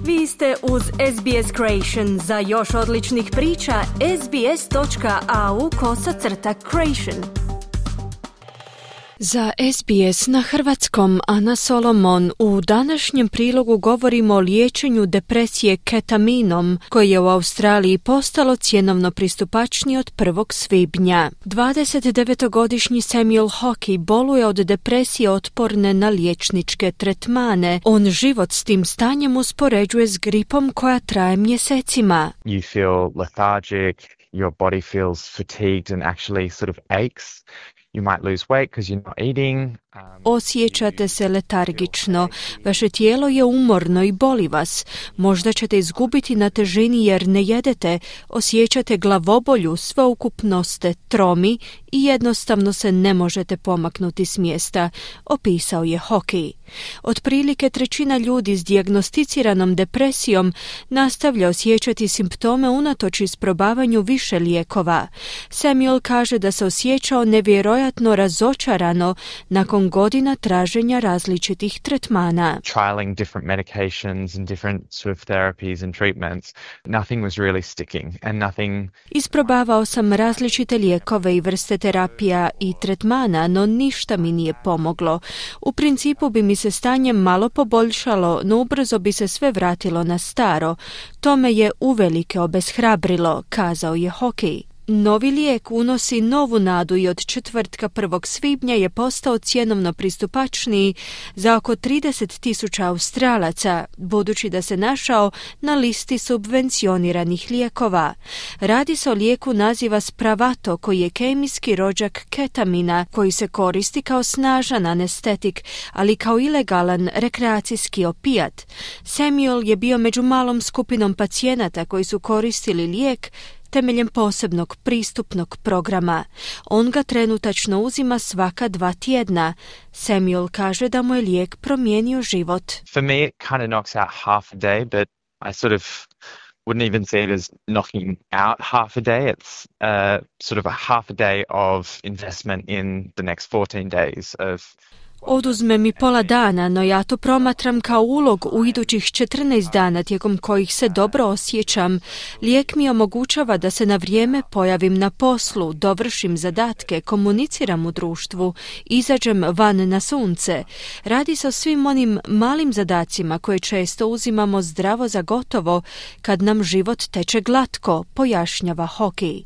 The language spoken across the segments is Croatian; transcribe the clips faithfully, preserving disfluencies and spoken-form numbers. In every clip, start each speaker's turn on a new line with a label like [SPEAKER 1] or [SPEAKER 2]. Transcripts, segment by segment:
[SPEAKER 1] Vi ste uz S B S Creation. Za još odličnih priča, sbs.au kosacrta creation. Za S B S na hrvatskom Ana Solomon. U današnjem prilogu govorimo o liječenju depresije ketaminom, koje je u Australiji postalo cjenovno pristupačnije od prvog svibnja. dvadesetdevetogodišnji Samuel Hockey boluje od depresije otporne na liječničke tretmane. On život s tim stanjem uspoređuje s gripom koja traje mjesecima.
[SPEAKER 2] You feel lethargic, your body feels fatigued and actually sort of aches. You might lose weight because you're not eating.
[SPEAKER 1] Osjećate se letargično, vaše tijelo je umorno i boli vas. Možda ćete izgubiti na težini jer ne jedete, osjećate glavobolju, sveukupno ste tromi i jednostavno se ne možete pomaknuti s mjesta, opisao je Hockey. Otprilike trećina ljudi s dijagnosticiranom depresijom nastavlja osjećati simptome unatoč isprobavanju više lijekova. Samuel kaže da se osjećao nevjerojatno razočarano nakon godina traženja različitih tretmana.
[SPEAKER 2] Trialing different medications and different sort of therapies and treatments, nothing was really sticking and nothing.
[SPEAKER 1] Isprobavao sam različite lijekove i vrste terapija i tretmana, no ništa mi nije pomoglo. U principu bi mi se stanje malo poboljšalo, no ubrzo bi se sve vratilo na staro. To me je uvelike obeshrabrilo, kazao je Hockey. Novi lijek unosi novu nadu i od četvrtka prvog svibnja je postao cjenovno pristupačniji za oko trideset tisuća Australaca, budući da se našao na listi subvencioniranih lijekova. Radi se o lijeku naziva Spravato, koji je kemijski rođak ketamina, koji se koristi kao snažan anestetik, ali kao ilegalan rekreacijski opijat. Samuel je bio među malom skupinom pacijenata koji su koristili lijek temeljem posebnog pristupnog programa. On ga trenutačno uzima svaka dva tjedna. Samuel kaže da mu je lijek promijenio život.
[SPEAKER 2] For me it kind of knocks out half a day, but I sort of wouldn't even see it as knocking out half a day. It's uh, sort of a half a day of investment in the next fourteen days of
[SPEAKER 1] Oduzme mi pola dana, no ja to promatram kao ulog u idućih četrnaest dana tijekom kojih se dobro osjećam. Lijek mi omogućava da se na vrijeme pojavim na poslu, dovršim zadatke, komuniciram u društvu, izađem van na sunce. Radi se o svim onim malim zadacima koje često uzimamo zdravo za gotovo kad nam život teče glatko, pojašnjava Hockey.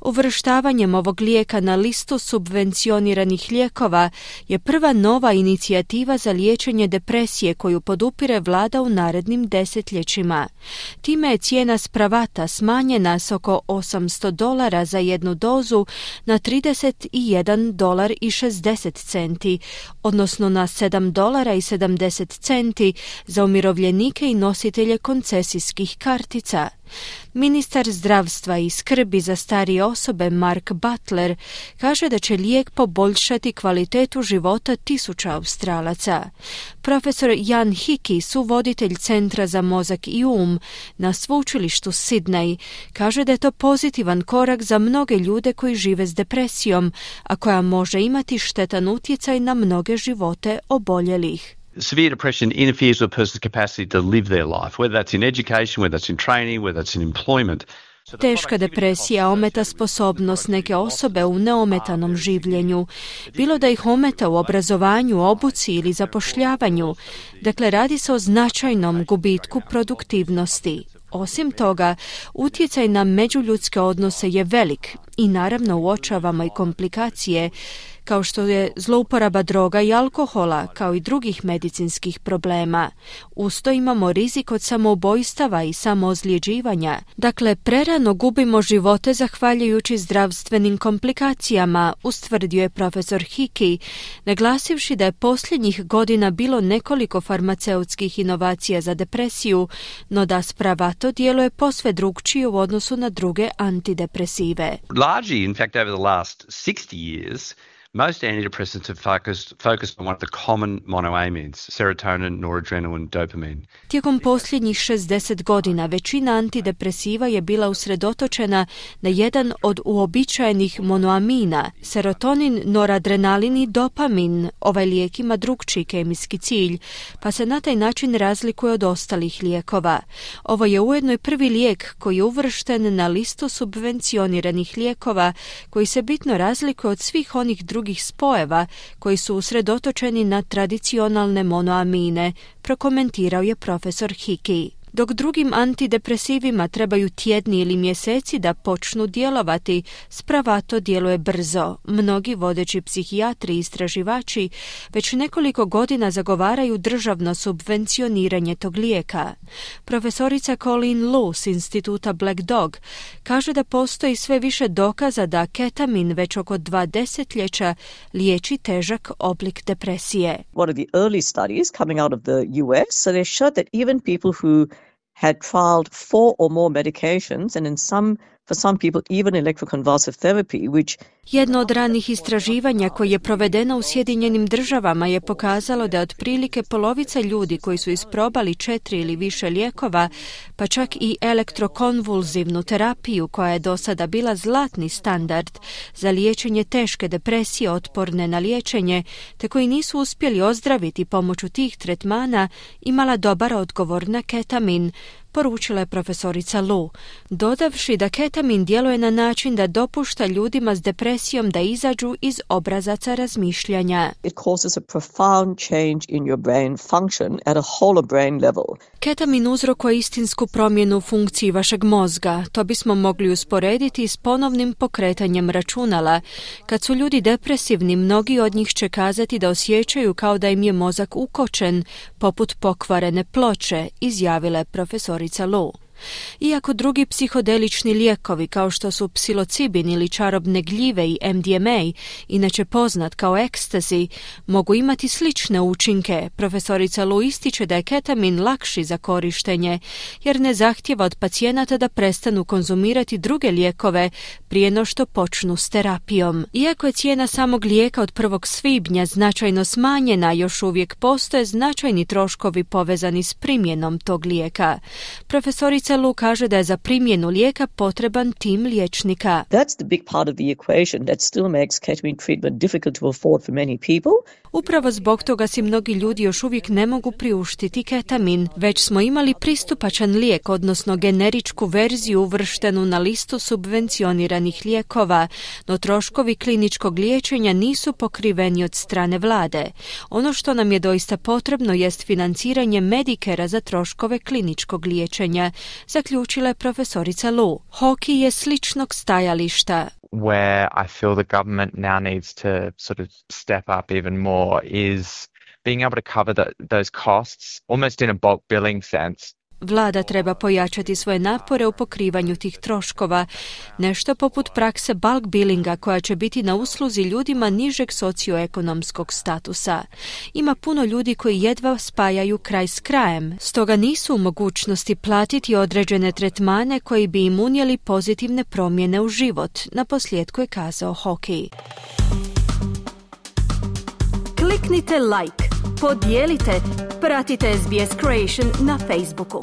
[SPEAKER 1] Uvrštavanjem ovog lijeka na listu subvencioniranih lijekova je prva nova inicijativa za liječenje depresije koju podupire vlada u narednim desetljećima. Time je cijena Spravata smanjena s oko osamsto dolara za jednu dozu na trideset jedan dolar i šezdeset centi, odnosno na sedam dolara i sedamdeset centi za umirovljenike i nositelje koncesijskih kartica. Ministar zdravstva i skrbi za starije osobe Mark Butler kaže da će lijek poboljšati kvalitetu života tisuća Australaca. Profesor Jan Hickey, suvoditelj Centra za mozak i um na sveučilištu Sydney, kaže da je to pozitivan korak za mnoge ljude koji žive s depresijom, a koja može imati štetan utjecaj na mnoge živote oboljelih.
[SPEAKER 3] Severe depression interferes with a person's capacity to live their life, whether that's in education, whether that's in training, whether that's in employment.
[SPEAKER 1] Teška depresija ometa sposobnost neke osobe u neometanom življenju, bilo da ih ometa u obrazovanju, obuci ili zapošljavanju. Dakle, radi se o značajnom gubitku produktivnosti. Osim toga, utjecaj na međuljudske odnose je velik i naravno uočavamo i komplikacije, kao što je zlouporaba droga i alkohola, kao i drugih medicinskih problema. Uz to imamo rizik od samoubojstava i samoozljeđivanja. Dakle, prerano gubimo živote zahvaljujući zdravstvenim komplikacijama, ustvrdio je profesor Hickey, naglasivši da je posljednjih godina bilo nekoliko farmaceutskih inovacija za depresiju, no da Spravato djeluje posve drukčije u odnosu na druge antidepresive.
[SPEAKER 3] Largely, in fact, over the last sixty years, Most antidepressants are focused, focused on one of the common monoamines, serotonin, noradrenaline, dopamine.
[SPEAKER 1] Tijekom posljednjih šezdeset godina većina antidepresiva je bila usredotočena na jedan od uobičajenih monoamina, serotonin, noradrenalin i dopamin. Ovaj lijek ima drukčiji kemijski cilj, pa se na taj način razlikuje od ostalih lijekova. Ovo je ujedno i prvi lijek koji je uvršten na listu subvencioniranih lijekova, koji se bitno razlikuje od svih onih drugih spojeva koji su usredotočeni na tradicionalne monoamine, prokomentirao je profesor Hickey. Dok drugim antidepresivima trebaju tjedni ili mjeseci da počnu djelovati, Spravato djeluje brzo. Mnogi vodeći psihijatri i istraživači već nekoliko godina zagovaraju državno subvencioniranje tog lijeka. Profesorica Colleen Loo s instituta Black Dog kaže da postoji sve više dokaza da ketamin već oko dva desetljeća liječi težak oblik depresije.
[SPEAKER 4] One of the early studies coming out of the U S, so they showed that even people who had trialed four or more medications, and in some, for some people, even electroconvulsive therapy, which
[SPEAKER 1] Jedno od ranih istraživanja koje je provedeno u Sjedinjenim državama je pokazalo da otprilike polovica ljudi koji su isprobali četiri ili više lijekova, pa čak i elektrokonvulzivnu terapiju koja je do sada bila zlatni standard za liječenje teške depresije otporne na liječenje, te koji nisu uspjeli ozdraviti pomoću tih tretmana, imala dobar odgovor na ketamin, poručila je profesorica Loo, dodavši da ketamin djeluje na način da dopušta ljudima s depresijom da izađu iz obrazaca razmišljanja.
[SPEAKER 4] it causes a profound change in your brain function at a whole brain level.
[SPEAKER 1] Ketamin uzrokuje istinsku promjenu u funkciji vašeg mozga. To bismo mogli usporediti s ponovnim pokretanjem računala. Kad su ljudi depresivni, mnogi od njih će kazati da osjećaju kao da im je mozak ukočen, poput pokvarene ploče, izjavila je profesorica Loo. Iako drugi psihodelični lijekovi kao što su psilocibin ili čarobne gljive i M D M A, inače poznat kao ekstazi, mogu imati slične učinke, profesorica Loo ističe da je ketamin lakši za korištenje, jer ne zahtijeva od pacijenata da prestanu konzumirati druge lijekove prije no što počnu s terapijom. Iako je cijena samog lijeka od prvog svibnja značajno smanjena, još uvijek postoje značajni troškovi povezani s primjenom tog lijeka. Profesorica Loo kaže da je za primjenu lijeka potreban tim liječnika.
[SPEAKER 4] That's the big part of the equation that still makes ketamine treatment difficult to afford for many people.
[SPEAKER 1] Upravo zbog toga si mnogi ljudi još uvijek ne mogu priuštiti ketamin. Već smo imali pristupačan lijek, odnosno generičku verziju uvrštenu na listu subvencioniranih lijekova, no troškovi kliničkog liječenja nisu pokriveni od strane vlade. Ono što nam je doista potrebno jest financiranje Medicarea za troškove kliničkog liječenja, zaključila je profesorica Loo. Hockey je sličnog stajališta.
[SPEAKER 2] Where I feel the government now needs to sort of step up even more is being able to cover the, those costs almost in a bulk billing sense.
[SPEAKER 1] Vlada treba pojačati svoje napore u pokrivanju tih troškova, nešto poput prakse bulk billinga koja će biti na usluzi ljudima nižeg socioekonomskog statusa. Ima puno ljudi koji jedva spajaju kraj s krajem, stoga nisu u mogućnosti platiti određene tretmane koji bi im unijeli pozitivne promjene u život, naposljetku je kazao Hockey. Kliknite like, podijelite, pratite S B S Creation na Facebooku.